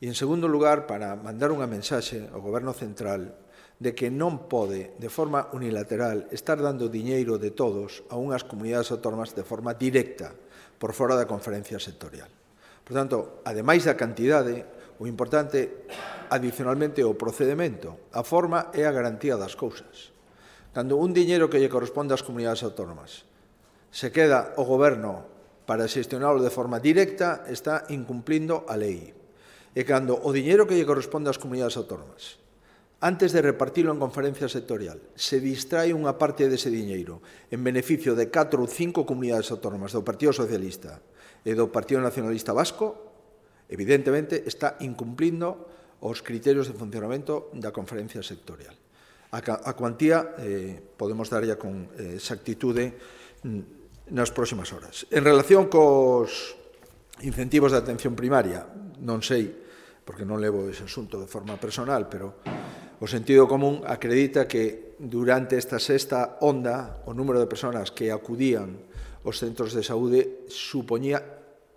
E, en segundo lugar, para mandar unha mensaxe ao Goberno Central de que non pode, de forma unilateral, estar dando diñeiro de todos a unhas comunidades autónomas de forma directa, por fora da conferencia sectorial. Por tanto, ademais da cantidade, o importante, adicionalmente, é o procedimento. A forma é a garantía das cousas. Cando un diñeiro que lle corresponde ás comunidades autónomas se queda o Goberno para xestionarlo de forma directa, está incumplindo a lei. E cando o diñeiro que lle corresponde ás comunidades autónomas, antes de repartilo en conferencia sectorial, se distrae unha parte dese diñeiro en beneficio de 4 ou 5 comunidades autónomas do Partido Socialista e do Partido Nacionalista Vasco, evidentemente está incumplindo os criterios de funcionamento da conferencia sectorial. A cuantía podemos darlla con exactitude nas próximas horas. En relación cos incentivos de atención primaria, non sei, porque non levo ese asunto de forma personal, pero o sentido común acredita que durante esta sexta onda o número de persoas que acudían aos centros de saúde supoñía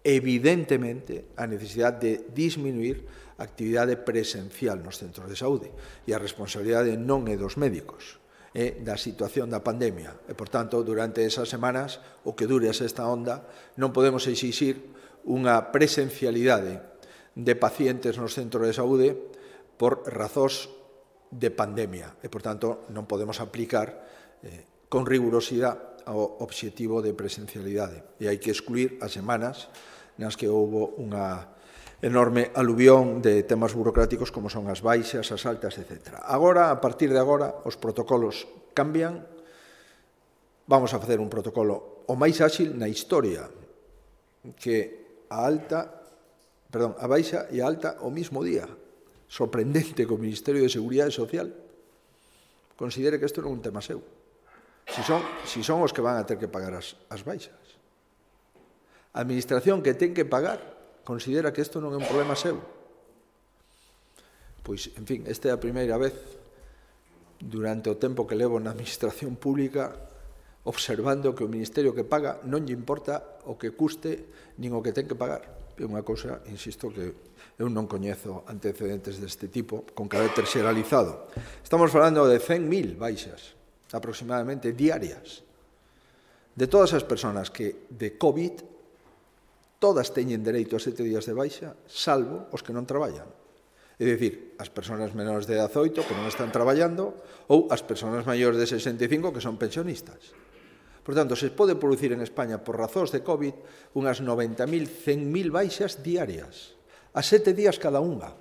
evidentemente a necesidade de disminuir a actividade presencial nos centros de saúde, e a responsabilidade non é dos médicos, é da situación da pandemia. E, por tanto, durante esas semanas, o que dure a sexta onda, non podemos exixir unha presencialidade de pacientes nos centros de saúde por razóns de pandemia. E, por tanto, non podemos aplicar con rigurosidade o obxectivo de presencialidade. E hai que excluir as semanas nas que houve unha enorme aluvión de temas burocráticos como son as baixas, as altas, etc. Agora, a partir de agora, os protocolos cambian. Vamos a facer un protocolo o máis áxil na historia, que a baixa e a alta o mismo día. Sorprendente que o Ministerio de Seguridade Social considere que isto non é un tema seu. Si son os que van a ter que pagar as baixas. A administración que ten que pagar considera que isto non é un problema seu. Pois, en fin, esta é a primeira vez durante o tempo que levo na administración pública observando que o Ministerio que paga non lle importa o que custe nin o que ten que pagar. É unha cousa, insisto, que eu non coñezo antecedentes deste tipo con carácter xeralizado. Estamos falando de 100.000 baixas aproximadamente diarias. De todas as persoas que de COVID todas teñen dereito a 7 días de baixa, salvo os que non traballan. É dicir, as persoas menores de 18 que non están traballando ou as persoas maiores de 65 que son pensionistas. Por tanto, se pode producir en España por razóns de COVID unhas 90.000, 100.000 baixas diarias, a 7 días cada unha.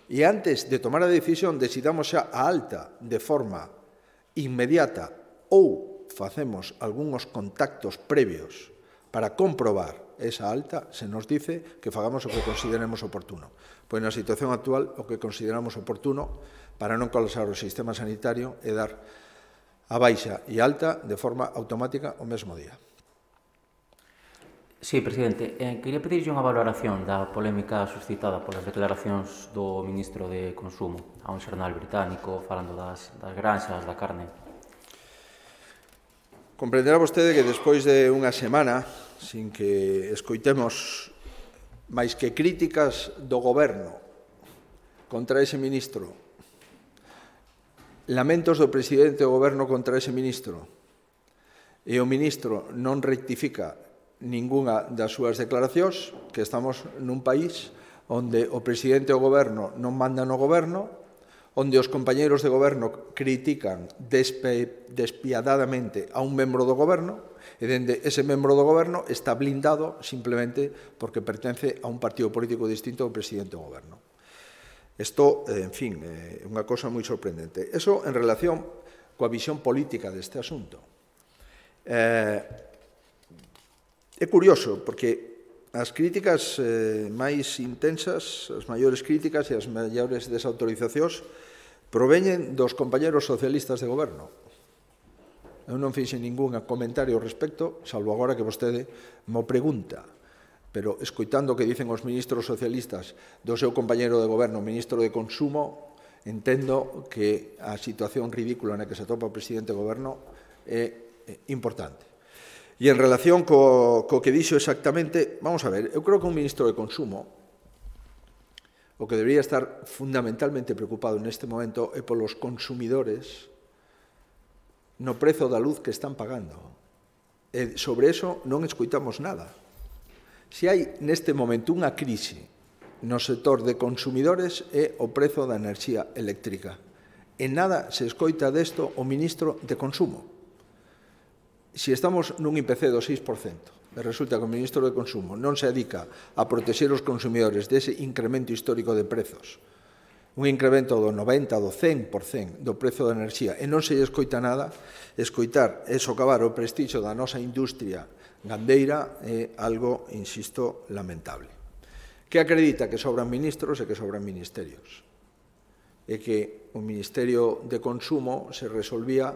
E antes de tomar a decisión de si damos xa a alta de forma inmediata ou facemos algúns contactos previos para comprobar esa alta, se nos dice que fagamos o que consideremos oportuno. Pois na situación actual, o que consideramos oportuno para non colapsar o sistema sanitario é dar a baixa e alta de forma automática o mesmo día. Sí, presidente. Quería pedirlle unha valoración da polémica suscitada polas declaracións do ministro de Consumo a un xornal británico falando das granxas, da carne. Comprenderá vostede que despois de unha semana sin que escoitemos máis que críticas do Goberno contra ese ministro, lamentos do presidente do Goberno contra ese ministro, e o ministro non rectifica ningunha das súas declaracións, que estamos nun país onde o presidente do Goberno non manda no Goberno, onde os compañeiros de Goberno critican despiadadamente a un membro do Goberno, e dende ese membro do Goberno está blindado simplemente porque pertence a un partido político distinto ao presidente do Goberno. Isto, en fin, é unha cosa moi sorprendente. Eso en relación coa visión política deste asunto. É curioso, porque as críticas máis intensas, as maiores críticas e as maiores desautorizacións proveñen dos compañeros socialistas de Goberno. Eu non fixe ningún comentario ao respecto, salvo agora que vostede mo pregunta. Pero, escoitando o que dicen os ministros socialistas do seu compañeiro de Goberno, o ministro de Consumo, entendo que a situación ridícula na que se atopa o presidente do Goberno é importante. E en relación co que dixo exactamente, vamos a ver, eu creo que un ministro de Consumo o que debería estar fundamentalmente preocupado neste momento é polos consumidores no prezo da luz que están pagando. E sobre eso non escoitamos nada. Se hai neste momento unha crise no sector de consumidores é o prezo da enerxía eléctrica. En nada se escoita desto o ministro de Consumo. Se estamos nun IPC do 6%, e resulta que o ministro de Consumo non se dedica a protexer os consumidores dese incremento histórico de prezos, un incremento do 90%, do 100% do prezo da enerxía, e non se lle escoita nada, escoitar e socavar o prestixio da nosa industria gandeira é algo, insisto, lamentable. Que acredita que sobran ministros e que sobran ministerios. E que o Ministerio de Consumo se resolvía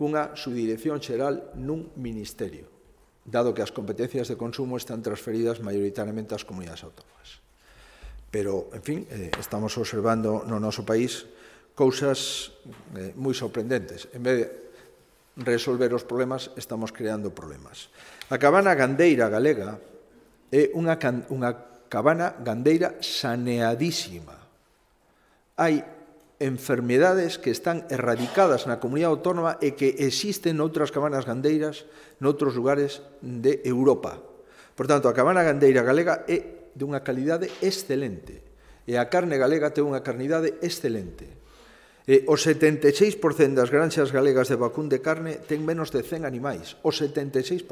cunha subdirección xeral nun ministerio, dado que as competencias de consumo están transferidas maioritariamente ás comunidades autónomas. Pero, en fin, estamos observando no noso país cousas moi sorprendentes. En vez de resolver os problemas, estamos creando problemas. A cabana gandeira galega é unha cabana gandeira saneadísima. Hai enfermedades que están erradicadas na comunidade autónoma e que existen noutras cabanas gandeiras noutros lugares de Europa. Por tanto, a cabana gandeira galega é de unha calidade excelente e a carne galega ten unha carnidade excelente. E o 76% das granxas galegas de vacún de carne ten menos de 100 animais, o 76%.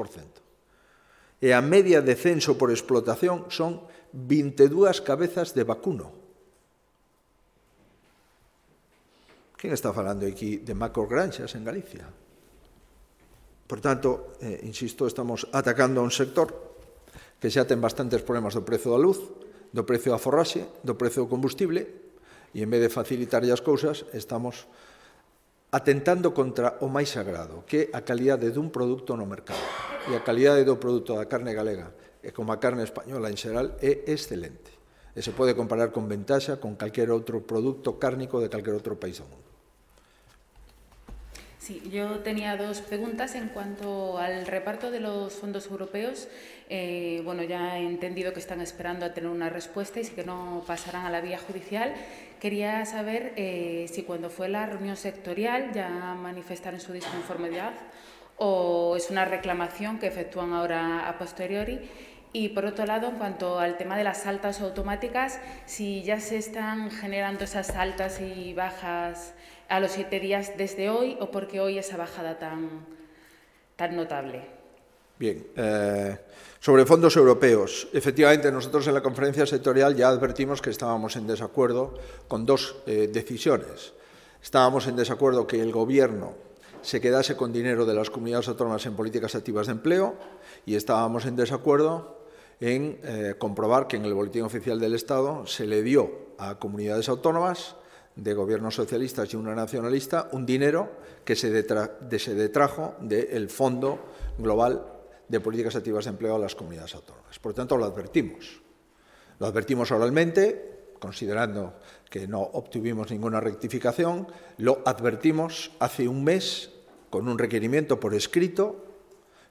E a media de censo por explotación son 22 cabezas de vacuno. Quen está falando aquí de macrogranxas en Galicia? Por tanto, insisto, estamos atacando a un sector que xa ten bastantes problemas do prezo da luz, do prezo da forraxe, do prezo do combustible, e en vez de facilitar as cousas, estamos atentando contra o máis sagrado, que é a calidade dun produto no mercado. E a calidade do produto da carne galega, e como a carne española en xeral, é excelente. E se pode comparar con ventaxa con calquer outro produto cárnico de calquer outro país do mundo. Sí, yo tenía dos preguntas en cuanto al reparto de los fondos europeos. Bueno, ya he entendido que están esperando a tener una respuesta y si que no pasarán a la vía judicial. Quería saber si cuando fue la reunión sectorial ya manifestaron su disconformidad o es una reclamación que efectúan ahora a posteriori. Y por otro lado, en cuanto al tema de las altas automáticas, si ya se están generando esas altas y bajas a los 7 días desde hoy o porque hoy esa bajada tan notable. Bien, sobre fondos europeos, efectivamente nosotros en la conferencia sectorial ya advertimos que estábamos en desacuerdo con dos decisiones. Estábamos en desacuerdo que el Gobierno se quedase con dinero de las comunidades autónomas en políticas activas de empleo y estábamos en desacuerdo en comprobar que en el Boletín Oficial del Estado se le dio a comunidades autónomas de gobiernos socialistas y una nacionalista un dinero que se detrajo del Fondo Global de Políticas Activas de Empleo a las comunidades autónomas. Por tanto, lo advertimos. Lo advertimos oralmente, considerando que no obtuvimos ninguna rectificación. Lo advertimos hace un mes con un requerimiento por escrito,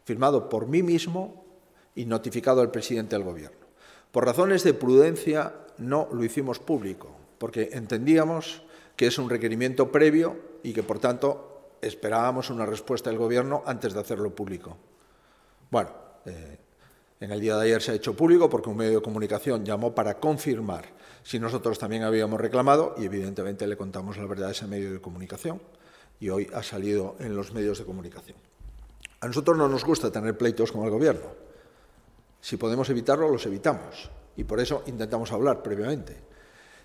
firmado por mí mismo y notificado al presidente del Gobierno. Por razones de prudencia no lo hicimos público, porque entendíamos que es un requerimiento previo y que, por tanto, esperábamos una respuesta del Gobierno antes de hacerlo público. Bueno, en el día de ayer se ha hecho público porque un medio de comunicación llamó para confirmar si nosotros también habíamos reclamado y, evidentemente, le contamos la verdad a ese medio de comunicación y hoy ha salido en los medios de comunicación. A nosotros no nos gusta tener pleitos con el Gobierno. Si podemos evitarlo, los evitamos y por eso intentamos hablar previamente.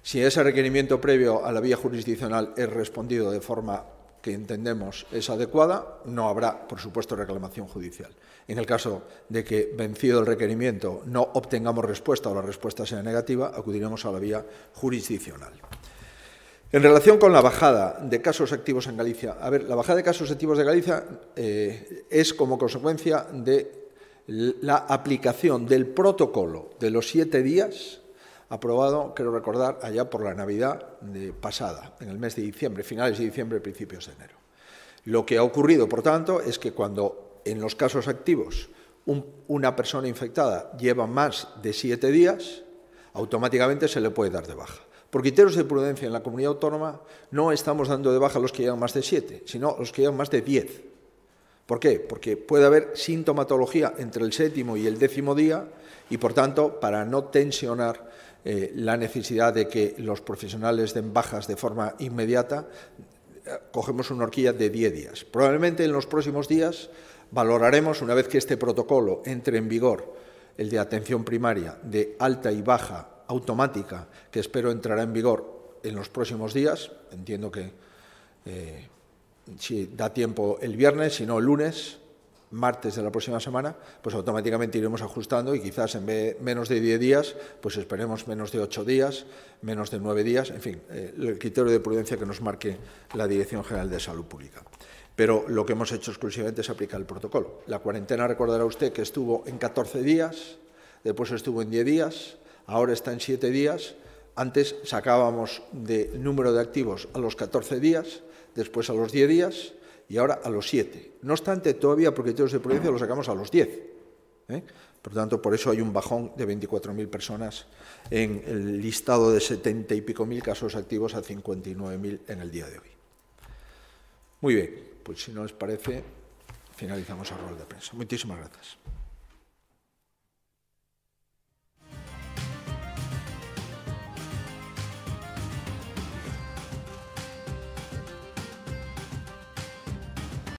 Si ese requerimiento previo a la vía jurisdiccional es respondido de forma que entendemos es adecuada, no habrá, por supuesto, reclamación judicial. En el caso de que, vencido el requerimiento, no obtengamos respuesta o la respuesta sea negativa, acudiremos a la vía jurisdiccional. En relación con la bajada de casos activos en Galicia, la bajada de casos activos de Galicia es como consecuencia de la aplicación del protocolo de los 7 días aprobado, quiero recordar, allá por la Navidad pasada, en el mes de diciembre, finales de diciembre, principios de enero. Lo que ha ocurrido, por tanto, es que cuando en los casos activos una persona infectada lleva más de 7 días, automáticamente se le puede dar de baja. Por criterios de prudencia en la comunidad autónoma no estamos dando de baja a los que llevan más de 7, sino a los que llevan más de 10. ¿Por qué? Porque puede haber sintomatología entre el 7º y el 10º día y, por tanto, para no tensionar la necesidad de que los profesionales den bajas de forma inmediata, cogemos una horquilla de 10 días. Probablemente en los próximos días valoraremos, una vez que este protocolo entre en vigor, el de atención primaria de alta y baja automática, que espero entrará en vigor en los próximos días. Entiendo que si da tiempo el viernes, si no el lunes, martes de la próxima semana, pues automáticamente iremos ajustando y quizás en vez de menos de 10 días, pues esperemos menos de 8 días, menos de 9 días, en fin, el criterio de prudencia que nos marque la Dirección General de Salud Pública. Pero lo que hemos hecho exclusivamente es aplicar el protocolo. La cuarentena, recordará usted que estuvo en 14 días, después estuvo en 10 días, ahora está en 7 días. Antes sacábamos de número de activos a los 14 días, después a los 10 días y ahora a los 7. No obstante, todavía por criterios de prudencia lo sacamos a los 10. Por tanto, por eso hay un bajón de 24.000 personas en el listado de 70 y pico mil casos activos a 59.000 en el día de hoy. Muy bien, pues si no les parece, finalizamos el rol de prensa. Muchísimas gracias.